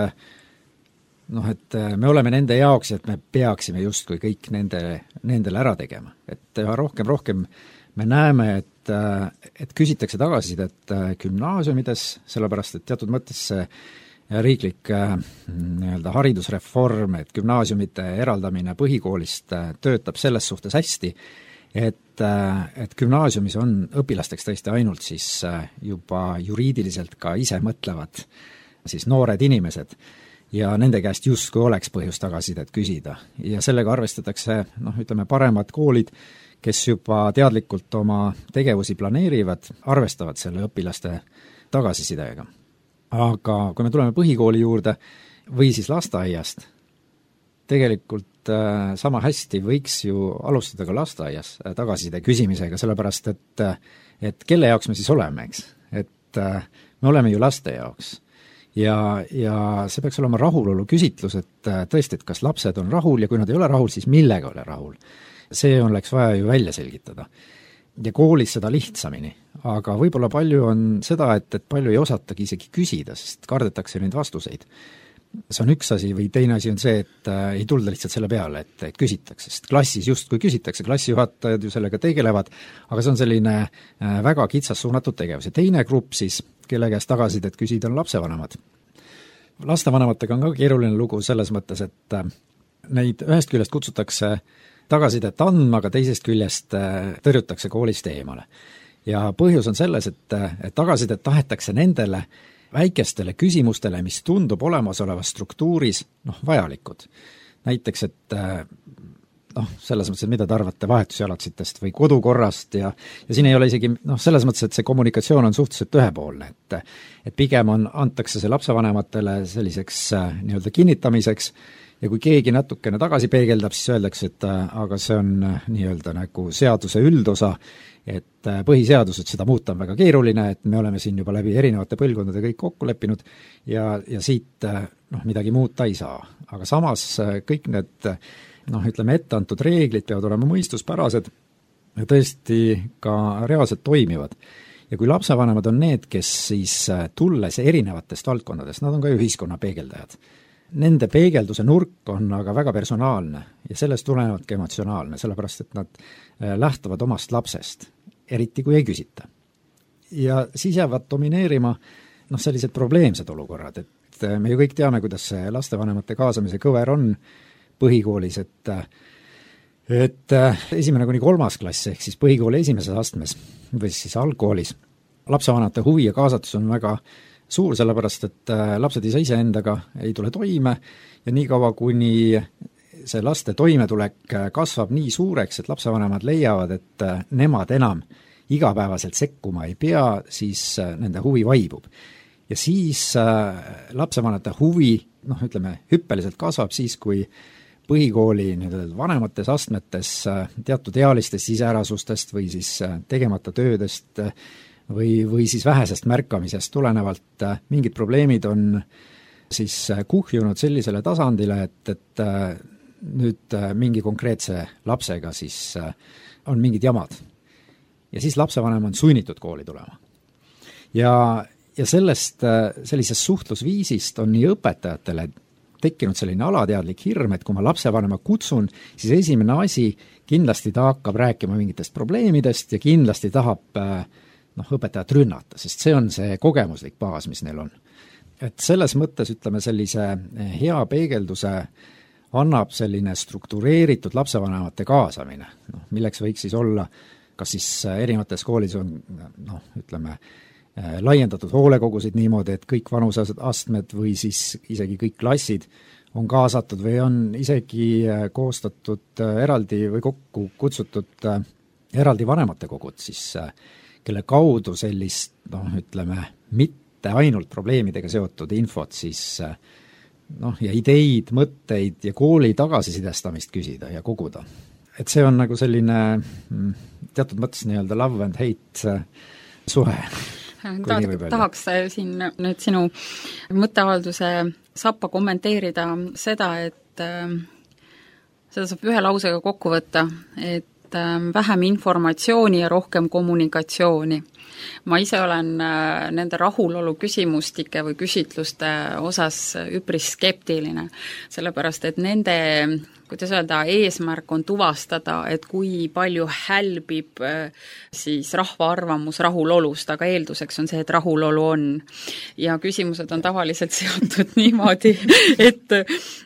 me oleme nende jaoks, et me peaksime justkui kõik nendele ära tegema. Et rohkem me näeme, et küsitakse tagasisidet gümnaasiumides, sellepärast et teatud mõttes see riiklik nii-öelda haridusreform, et gümnaasiumite eraldamine põhikoolist töötab selles suhtes hästi, et gümnaasiumis on õpilasteks tõesti ainult siis juba juriidiliselt ka ise mõtlevad siis noored inimesed ja nende käest justkui oleks põhjust tagasisidet küsida. Ja sellega arvestatakse, ütleme, paremad koolid, kes juba teadlikult oma tegevusi planeerivad, arvestavad selle õpilaste tagasisidega. Aga kui me tuleme põhikooli juurde või siis lasteaiast, tegelikult sama hästi võiks ju alustada ka lasteaias tagasiside küsimisega, sellepärast et kelle jaoks me siis oleme, eks? Et me oleme ju laste jaoks. Ja see peaks olema rahulolu küsitlus, et tõesti, et kas lapsed on rahul ja kui nad ei ole rahul, siis millega ole rahul. See oleks vaja ju välja selgitada. Ja koolis seda lihtsamini, aga võib-olla palju on seda, et palju ei osatagi isegi küsida, sest kardetakse neid vastuseid. See on üks asi või teine asi on see, et ei tulda lihtsalt selle peale, et küsitakse, sest klassis justkui küsitakse, klassijuhatajad ju sellega tegelevad, aga see on selline väga kitsas suunatud tegevus. Ja teine grupp siis, kelle käest tagasisidet küsida, on lapsevanemad. Lastevanematega on ka keeruline lugu selles mõttes, et neid ühest küljest kutsutakse tagasisidet andma, aga teisest küljest tõrjutakse koolist eemale. Ja põhjus on selles, et tagasisidet tahetakse nendele väikestele küsimustele, mis tundub olemasolevas struktuuris vajalikud. Näiteks, et selles mõttes, et mida te arvate vahetusjalatsitest või kodukorrast ja siin ei ole isegi selles mõttes, et see kommunikatsioon on suhteliselt ühepoolne, et pigem antakse see lapsevanematele selliseks nii-öelda kinnitamiseks ja kui keegi natukene tagasi peegeldab, siis öeldakse, et aga see on nii-öelda nagu seaduse üldosa, et põhiseadused seda muuta on väga keeruline, et me oleme siin juba läbi erinevate põlvkondade kõik kokku leppinud ja siit midagi muuta ei saa. Aga samas kõik need ütleme etteantud reeglid peavad olema mõistuspärased ja tõesti ka reaalselt toimivad. Ja kui lapsevanemad on need, kes siis tulles erinevatest valdkondadest, nad on ka ühiskonna peegeldajad. Nende peegelduse nurk on aga väga personaalne ja sellest tulenevalt ka emotsionaalne, sellepärast et nad lähtuvad omast lapsest, eriti kui ei küsita. Ja siis jäävad domineerima sellised probleemsed olukorrad, et me ju kõik teame, kuidas see lastevanemate kaasamise kõver on põhikoolis, et 1.–3. klass ehk siis põhikooli esimeses astmes või siis algkoolis lapsevanemate huvi ja kaasatus on väga suur, sellepärast et lapsed ei saa iseendaga ei tule toime ja nii kaua, kuni see laste toimetulek kasvab nii suureks, et lapsevanemad leiavad, et nemad enam igapäevaselt sekkuma ei pea, siis nende huvi vaibub. Ja siis lapsevanemate huvi, hüppeliselt kasvab siis, kui põhikooli vanemates astmetes teatud ealistest iseärasustest või siis tegemata töödest või siis vähesest märkamisest tulenevalt mingid probleemid on siis kuhjunud sellisele tasandile, et nüüd mingi konkreetse lapsega siis on mingid jamad. Ja siis lapsevanem on sunnitud kooli tulema. Ja sellisest suhtlusviisist on nii õpetajatele tekkinud selline alateadlik hirm, et kui ma lapsevanema kutsun, siis esimene asi kindlasti ta hakkab rääkima mingitest probleemidest ja kindlasti tahab õpetajat rünnata, sest see on see kogemuslik baas, mis neil on. Et selles mõttes, sellise hea peegelduse annab selline struktureeritud lapsevanemate kaasamine, milleks võiks siis olla, kas siis erinevates koolis on, laiendatud hoolekogusid niimoodi, et kõik vanuseastmed või siis isegi kõik klassid on kaasatud või on isegi koostatud eraldi või kokku kutsutud eraldi vanematekogud, siis kelle kaudu sellist, mitte ainult probleemidega seotud infot siis ja ideid, mõtteid ja kooli tagasisidestamist küsida ja koguda. Et see on nagu selline teatud mõttes nii-öelda love and hate suhe. Tahaks siin nüüd sinu mõtteavalduse sappa kommenteerida seda, et seda saab ühe lausega kokku võtta, et vähem informatsiooni ja rohkem kommunikatsiooni. Ma ise olen nende rahulolu küsimustike või küsitluste osas üpris skeptiline, sellepärast et nende, kuidas öelda, eesmärk on tuvastada, et kui palju hälbib siis rahva arvamus rahulolust, aga eelduseks on see, et rahulolu on. Ja küsimused on tavaliselt seotud niimoodi, et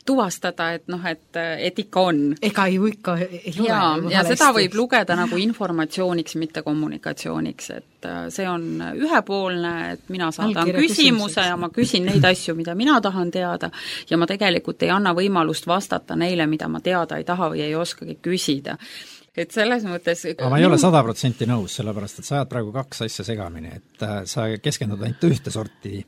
tuvastada, et ikka on. Ega ju ikka ei ole. Ja seda võib lugeda nagu informatsiooniks, mitte kommunikatsiooniks, et see on ühepoolne, et mina saadan küsimuse ja ma küsin neid asju, mida mina tahan teada ja ma tegelikult ei anna võimalust vastata neile, mida ma teada ei taha või ei oskagi küsida. Et selles mõttes... Aga ma ei ole 100% nõus, sellepärast, et sa ajad praegu kaks asja segamini, et sa keskendud ainult ühte sorti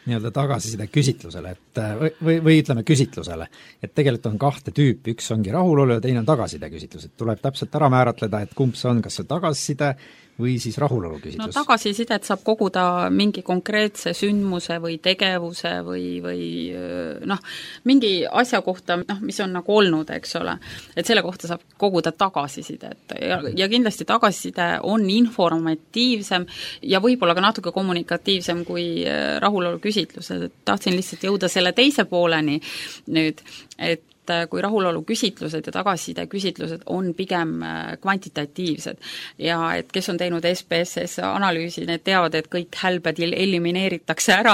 nii-öelda tagasiside küsitlusele, et või ütleme küsitlusele, et tegelikult on kahte tüüpi, üks ongi rahulolu ja teine on tagasiside küsitlus, et tuleb täpselt ära määratleda, et kumb see on, kas see tagasiside või siis rahulolu küsitlus. No tagasisidet saab koguda mingi konkreetse sündmuse või tegevuse või mingi asja kohta, mis on nagu olnud, eks ole. Et selle kohta saab koguda tagasisidet ja kindlasti tagasiside on informatiivsem ja võib-olla ka natuke kommunikatiivsem kui rahulolu küsitlused. Tahtsin lihtsalt jõuda selle teise pooleni nüüd, et kui rahulolu küsitlused ja tagasiside küsitlused on pigem kvantitatiivsed ja et kes on teinud SPSS analüüsi, need teavad, et kõik hälbed elimineeritakse ära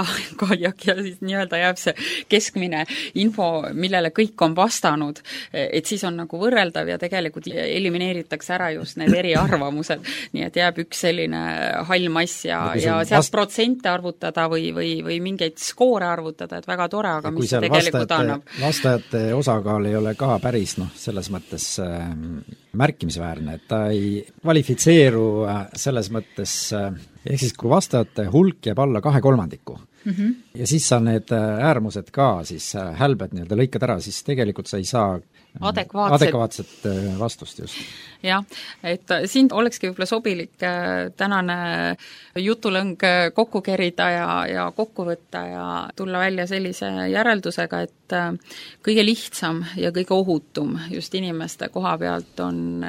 ja siis nii-öelda jääb see keskmine info, millele kõik on vastanud, et siis on nagu võrreldav ja tegelikult elimineeritakse ära just need eriarvamused, nii et jääb üks selline hall mass ja sealt protsente arvutada või mingeid skoore arvutada, et väga tore, aga mis see tegelikult annab. Vastajate osa osakaal ei ole ka päris selles mõttes märkimisväärne, et ta ei kvalifitseeru selles mõttes, ehk siis kui vastajate hulk jääb alla 2/3 ja siis sa need äärmused ka siis hälbed nii-öelda lõikad ära, siis tegelikult sa ei saa adekvaatset vastust just. Jah, et siin olekski võib-olla sobilik tänane jutulõng kokku kerida ja kokku võtta ja tulla välja sellise järeldusega, et kõige lihtsam ja kõige ohutum just inimeste koha pealt on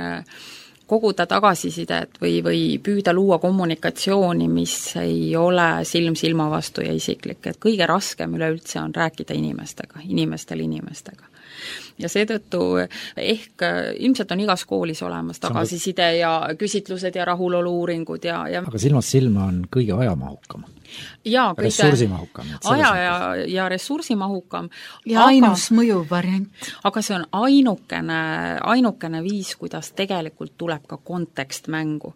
koguda tagasisidet või püüda luua kommunikatsiooni, mis ei ole silm silma vastu ja isiklik, et kõige raskem üleüldse on rääkida inimestega. Ja seetõttu ehk ilmselt on igas koolis olemas tagasiside ja küsitlused ja rahulolu-uuringud ja aga silmast silma on kõige ajamahukam. Ja ressursimahukam. Ja ressursimahukam. Ja ainus mõjuv variant. Aga see on ainukene viis, kuidas tegelikult tuleb ka kontekst mängu.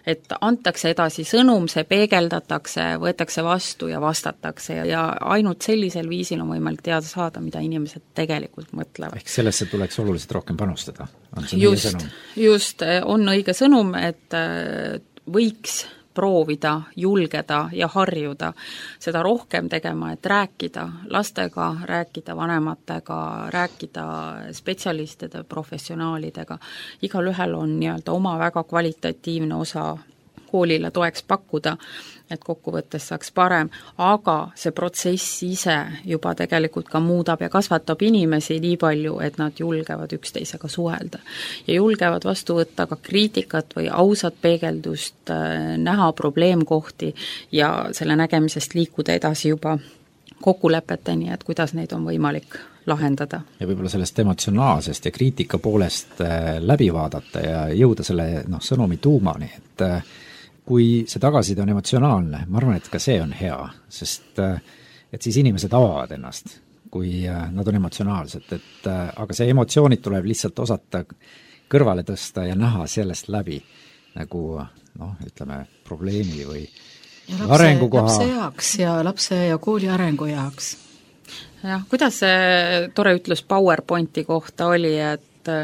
Et antakse edasi sõnum, see peegeldatakse, võetakse vastu ja vastatakse ja ainult sellisel viisil on võimalik teada saada, mida inimesed tegelikult mõtlevad. Ehk sellesse tuleks oluliselt rohkem panustada. Just, on õige sõnum, et võiks proovida, julgeda ja harjuda seda rohkem tegema, et rääkida lastega, rääkida vanematega, rääkida spetsialistide, professionaalidega. Igalühel on nii-öelda oma väga kvalitatiivne osa koolile toeks pakkuda, et kokkuvõttes saaks parem, aga see protsess ise juba tegelikult ka muudab ja kasvatab inimesi nii palju, et nad julgevad üksteisega suhelda. Ja julgevad vastu võtta ka kriitikat või ausat peegeldust, näha probleemkohti ja selle nägemisest liikuda edasi juba kokkulepeteni, et kuidas neid on võimalik lahendada. Ja võib-olla sellest emotsionaalsest ja kriitika poolest läbi vaadata ja jõuda selle sõnumi tuumani, et kui see tagasiside on emotsionaalne, ma arvan, et ka see on hea, sest et siis inimesed avavad ennast, kui nad on emotsionaalsed, aga see emotsioonid tuleb lihtsalt osata kõrvale tõsta ja näha sellest läbi nagu ütleme probleemi või arengukoha. Lapse jaoks ja lapse ja kooli arengu jaoks. Jah, kuidas see tore ütlus PowerPointi kohta oli, et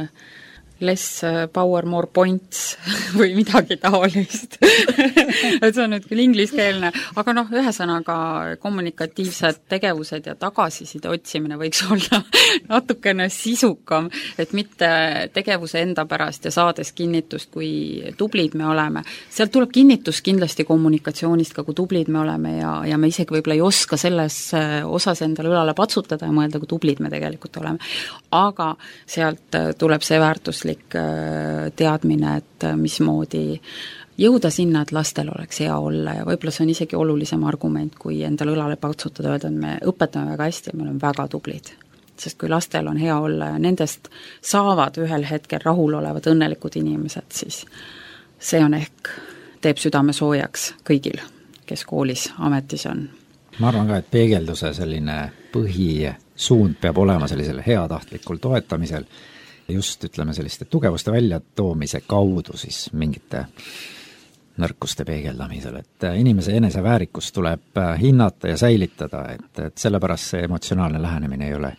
less power, more points või midagi taolist. Et see on nüüd küll ingliskeelne, aga ühesõnaga kommunikatiivsed tegevused ja tagasiside otsimine võiks olla natukene sisukam, et mitte tegevuse enda pärast ja saades kinnitust, kui tublid me oleme. Sealt tuleb kinnitus kindlasti kommunikatsioonist ka, kui tublid me oleme ja me isegi võib-olla ei oska selles osas endale õlale patsutada ja mõelda, kui tublid me tegelikult oleme. Aga sealt tuleb see väärtuslik teadmine, et mismoodi jõuda sinna, et lastel oleks hea olla ja võib-olla see on isegi olulisem argument, kui endale õlale patsutada, öelda, et me õpetame väga hästi ja me oleme väga tublid. Sest kui lastel on hea olla ja nendest saavad ühel hetkel rahulolevad õnnelikud inimesed, siis see on ehk teeb südame soojaks kõigil, kes koolis ametis on. Ma arvan ka, et peegelduse selline põhisuund peab olema sellisel heatahtlikul toetamisel, just ütleme selliste tugevuste väljatoomise kaudu siis mingite nõrkuste peegeldamisel, et inimese eneseväärikust tuleb hinnata ja säilitada, et sellepärast see emotsionaalne lähenemine ei ole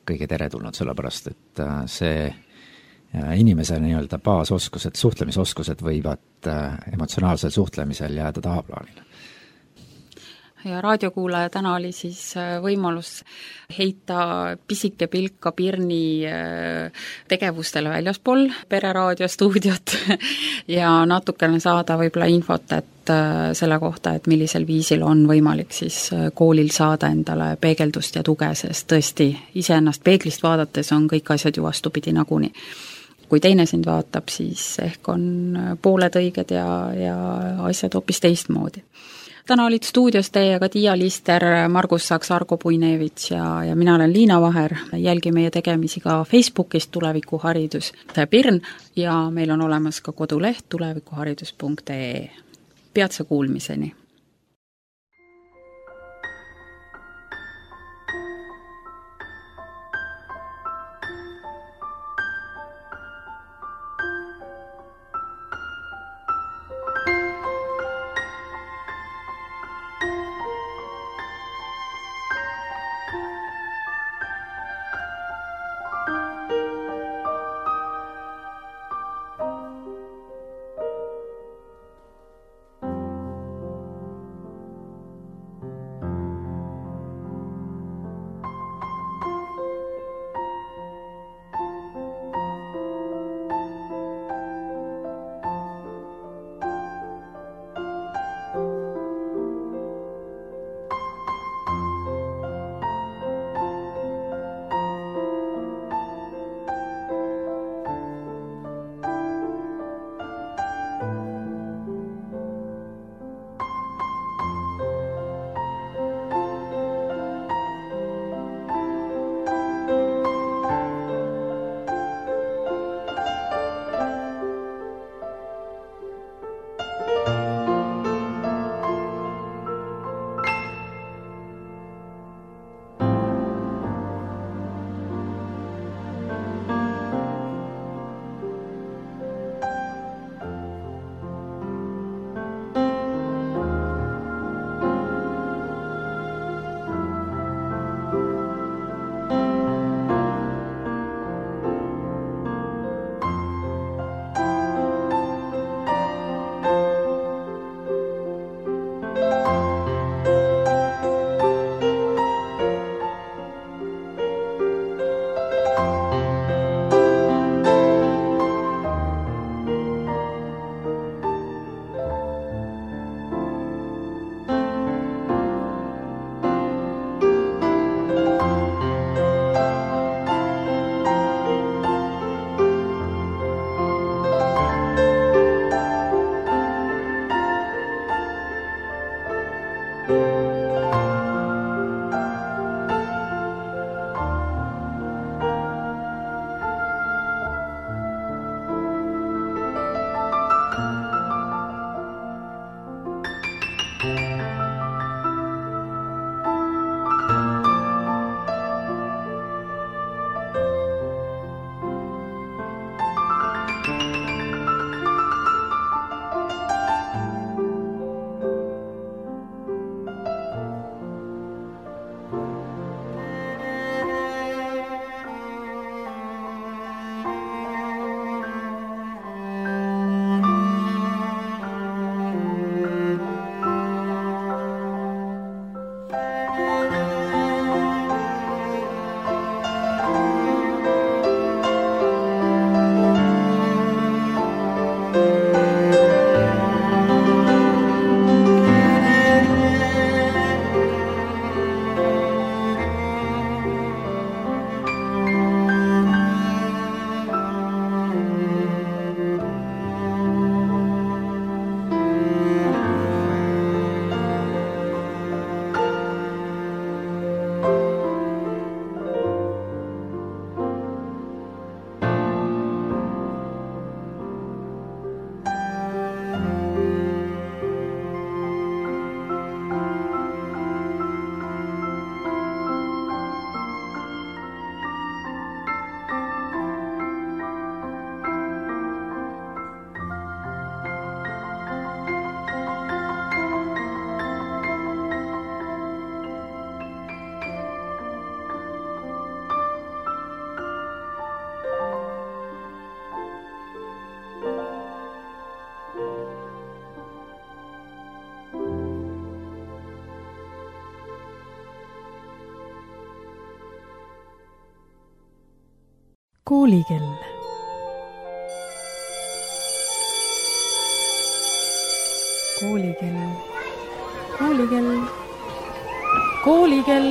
kõige teretulnud, sellepärast et see inimese nii-öelda baasoskused, suhtlemisoskused võivad emotsionaalsel suhtlemisel jääda tahaplaanile. Ja raadiokuulaja täna oli siis võimalus heita pisike pilk ka Pirni tegevustele väljaspool Pereraadio stuudiot ja natukene saada võib-olla infot, et selle kohta, et millisel viisil on võimalik siis koolil saada endale peegeldust ja tuge, sest tõesti iseennast peeglist vaadates on kõik asjad ju vastupidi naguni. Kui teine sind vaatab, siis ehk on pooled õiged ja asjad hoopis teistmoodi. Täna olid stuudios teiega Tiia Lister, Margus Saks, Argo Puinevits ja mina olen Liina Vaher. Jälgi meie tegemisi ka Facebookist Tulevikuharidus Pirn ja meil on olemas ka koduleht tulevikuharidus.ee. Peatse kuulmiseni! Koolikell. Koolikell. Koolikell. Koolikell.